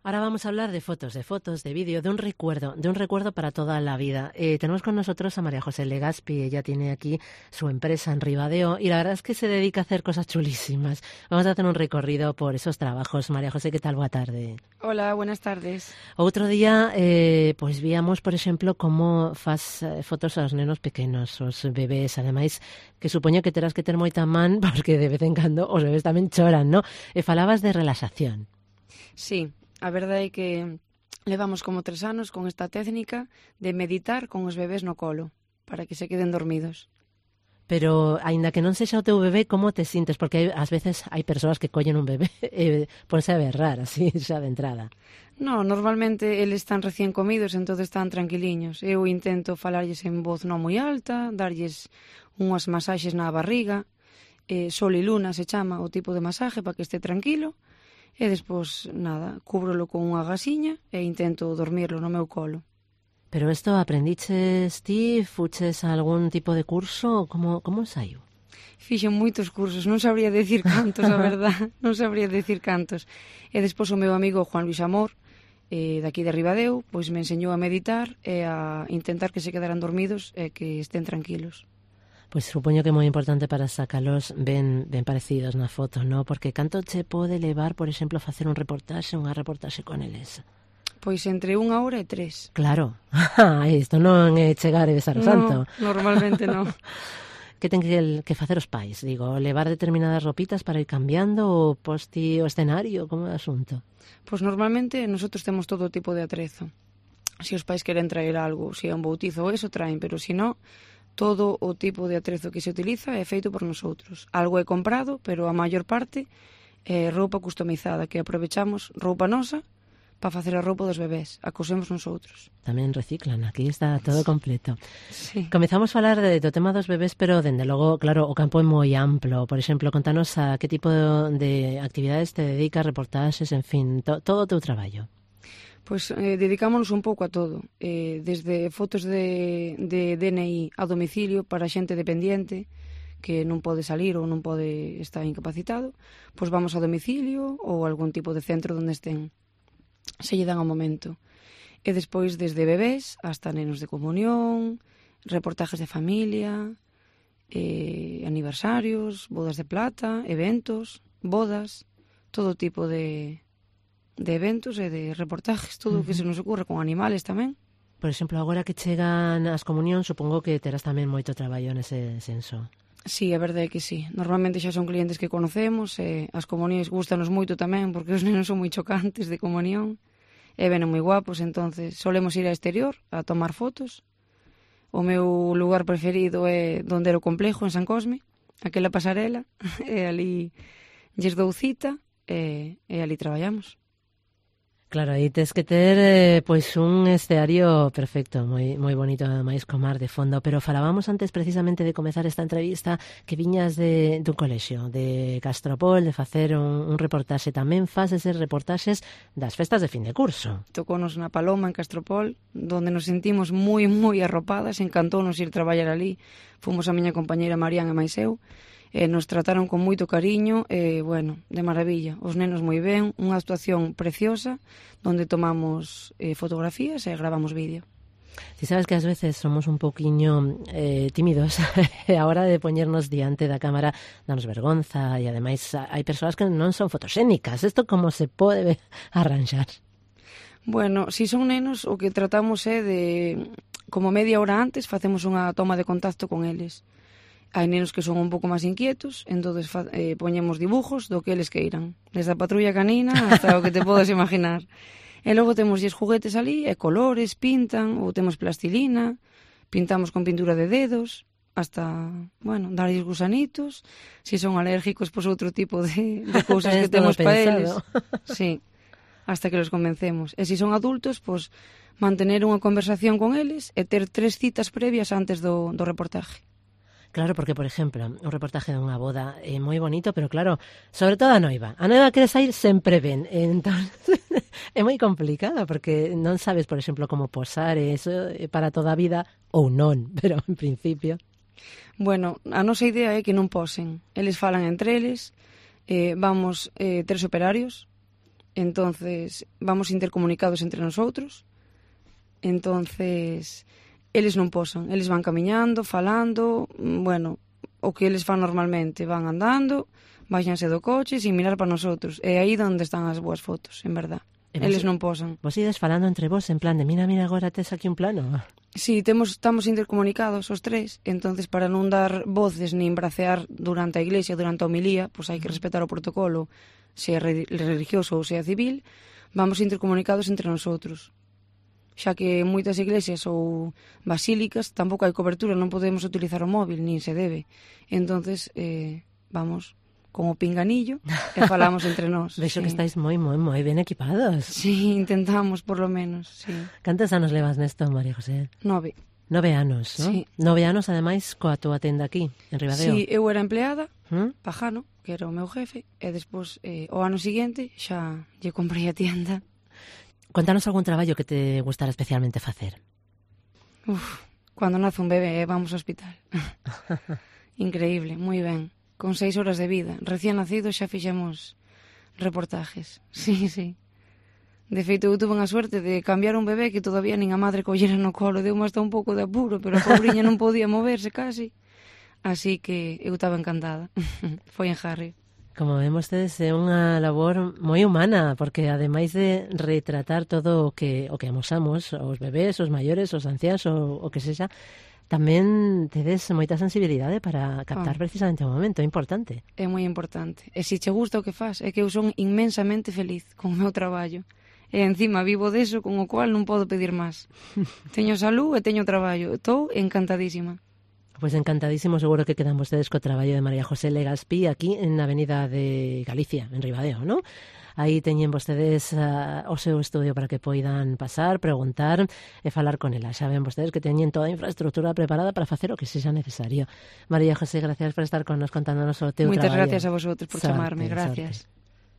Ahora vamos a hablar de fotos, de vídeo, de un recuerdo para toda la vida. Tenemos con nosotros a María José Legaspi. Ella tiene aquí su empresa en Ribadeo y la verdad es que se dedica a hacer cosas chulísimas. Vamos a hacer un recorrido por esos trabajos. María José, ¿qué tal? Boa tarde. Hola, buenas tardes. Outro día, pois víamos, por exemplo, como faz fotos aos nenos pequenos, os bebés, ademais, que supoño que terás que ter moita man, porque de vez en cando os bebés tamén choran, ¿no? E falabas de relaxación. Sí, a verdade é que levamos como 3 anos con esta técnica de meditar con os bebés no colo, para que se queden dormidos. Pero, aínda que non sexa o teu bebé, como te sintes? Porque ás veces hai persoas que collen un bebé e ponse a berrar, así, xa de entrada. No, normalmente eles están recién comidos, entón están tranquiliños. Eu intento falarlles en voz non moi alta, darlles unhas masaxes na barriga, sol e luna se chama o tipo de masaje para que este tranquilo, e despois, nada, cúbrolo con unha gasiña e intento dormirlo no meu colo. Pero isto aprendiches ti, fuches a algún tipo de curso, como saiu? Fixen moitos cursos, non sabría decir cantos, a verdad, non sabría decir cantos. E despois o meu amigo Juan Luis Amor, daqui de Ribadeo, pois me enseñou a meditar e a intentar que se quedaran dormidos e que estén tranquilos. Pois supoño que é moi importante para sacalos ben parecidos na foto, ¿no? Porque canto che pode levar, por exemplo, facer unha reportaxe con eles? Pois entre 1 hora e 3. Claro, isto non é chegar e besar o santo. No, normalmente non. Que ten que facer os pais? Digo, levar determinadas ropitas para ir cambiando ou posti o escenario? Como é o asunto? Pois normalmente nosotros temos todo tipo de atrezo. Se os pais queren traer algo, se é un bautizo ou eso, traen, pero se non, todo o tipo de atrezo que se utiliza é feito por nosotros. Algo é comprado, pero a maior parte é roupa customizada, que aprovechamos roupa nosa para facer a roupa dos bebés, a cosemos nosotros. Tamén reciclan, aquí está todo completo. Sí. Comezamos a falar do tema dos bebés, pero, dende logo, claro, o campo é moi amplo. Por exemplo, contanos a que tipo de actividades te dedicas, reportaxes, en fin, todo o teu traballo. Pois dedicámonos un pouco a todo, desde fotos de DNI a domicilio para xente dependiente que non pode salir ou non pode estar incapacitado, pois vamos a domicilio ou algún tipo de centro onde estén, se lle dan ao momento. E despois desde bebés hasta nenos de comunión, reportajes de familia, aniversarios, bodas de plata, eventos, bodas, todo tipo de eventos e de reportajes, todo o que se nos ocurre, con animales tamén. Por exemplo, agora que chegan as comunións, supongo que terás tamén moito traballo nese senso. Sí, a verdade é que sí. Normalmente xa son clientes que conocemos e as comunións gustanos moito tamén porque os nenos son moi chocantes de comunión e venen moi guapos, entonces solemos ir ao exterior a tomar fotos. O meu lugar preferido é donde era o complejo, en San Cosme, aquela pasarela, e ali lles dou cita e ali traballamos. Claro, aí tes que ter pois un escenario perfecto, moi bonito, ademais co mar de fondo, pero falábamos antes precisamente de comezar esta entrevista que viñas dun colexio, de Castropol, de facer un reportaxe. Tamén faz eses reportaxes das festas de fin de curso. Tocounos na Paloma, en Castropol, donde nos sentimos moi arropadas, encantounos ir traballar ali. Fomos a miña compañeira Marián e máis eu, nos trataron con moito cariño e, bueno, de maravilla. Os nenos moi ben, unha actuación preciosa, donde tomamos fotografías e gravamos vídeo. Ti sabes que ás veces somos un pouquiño tímidos e a hora de poñernos diante da cámara danos vergonza e, ademais, hai persoas que non son fotoxénicas. Isto como se pode arranxar? Bueno, si son nenos, o que tratamos é de, como media hora antes, facemos unha toma de contacto con eles. Hai nenos que son un pouco máis inquietos, entón poñemos dibujos do que eles queiran, desde a patrulla canina hasta o que te podes imaginar. E logo temos juguetes ali, e colores, pintan, ou temos plastilina, pintamos con pintura de dedos, hasta, bueno, darlles gusanitos, se son alérgicos, pois outro tipo de cousas que temos para eles. Sí, hasta que los convencemos. E se son adultos, pois mantener unha conversación con eles e ter 3 citas previas antes do reportaje. Claro, porque, por exemplo, un reportaje dunha boda é moi bonito, pero claro, sobre todo a noiva. A noiva quere sair sempre ben, entón é moi complicado, porque non sabes, por exemplo, como posar, e iso para toda a vida, ou non, pero en principio. Bueno, a nosa idea é que non posen. Eles falan entre eles, vamos 3 operarios, Entonces, vamos intercomunicados entre nosotros. Entonces, eles non posan, eles van camiñando, falando, bueno, o que eles fan normalmente, van andando, baixanse do coche sin mirar para nosotros. É aí onde están as boas fotos, en verdad. Eles non posan. Vos ides falando entre vos en plan de mira, agora tes aquí un plano. Sí, estamos intercomunicados os tres, entonces para non dar voces nin bracear durante a iglesia, durante a homilía, pois hai que respetar o protocolo, sea religioso ou sea civil, vamos intercomunicados entre nosotros. Xa que en moitas iglesias ou basílicas tampouco hai cobertura, non podemos utilizar o móvil, nin se debe. Entonces, vamos con o pinganillo e falamos entre nós. Vexo que estáis moi ben equipados. Sí, intentamos, por lo menos, sí. Cantos anos levas nesto, María José? 9. 9 anos, non? Sí. 9 anos, ademais, coa túa tenda aquí, en Ribadeo. Sí, eu era empleada, Pajano, que era o meu jefe, e despois, o ano seguinte, xa lle comprei a tienda. Contanos algún traballo que te gustara especialmente facer. Cando nace un bebé, vamos ao hospital. Increíble, moi ben. Con 6 horas de vida. Recién nacido xa fixemos reportajes. Sí, sí. De feito, eu tuve a suerte de cambiar un bebé que todavía nin a madre collera no colo. Deu hasta un pouco de apuro, pero a pobriña non podía moverse casi. Así que eu estaba encantada. Foi en Harry. Como vemos, tedes é unha labor moi humana, porque ademais de retratar todo o que amosamos, os bebés, os maiores, os anciáns, o que sexa, tamén tedes moita sensibilidade para captar precisamente o momento, é importante. É moi importante. E se che gusta o que faz, é que eu son inmensamente feliz con o meu traballo. E encima vivo deso, con o cual non podo pedir máis. Teño salud e teño traballo. Estou encantadísima. Pois encantadísimo, seguro que quedan vostedes co traballo de María José Legazpi aquí na Avenida de Galicia, en Ribadeo, non? Aí teñen vostedes o seu estudio para que poidan pasar, preguntar e falar con ela. Xa ven vostedes que teñen toda a infraestructura preparada para facer o que sexa necesario. María José, gracias por estar con nos contándonos o teu traballo. Moitas gracias a vosotros por chamarme, gracias. Sorte.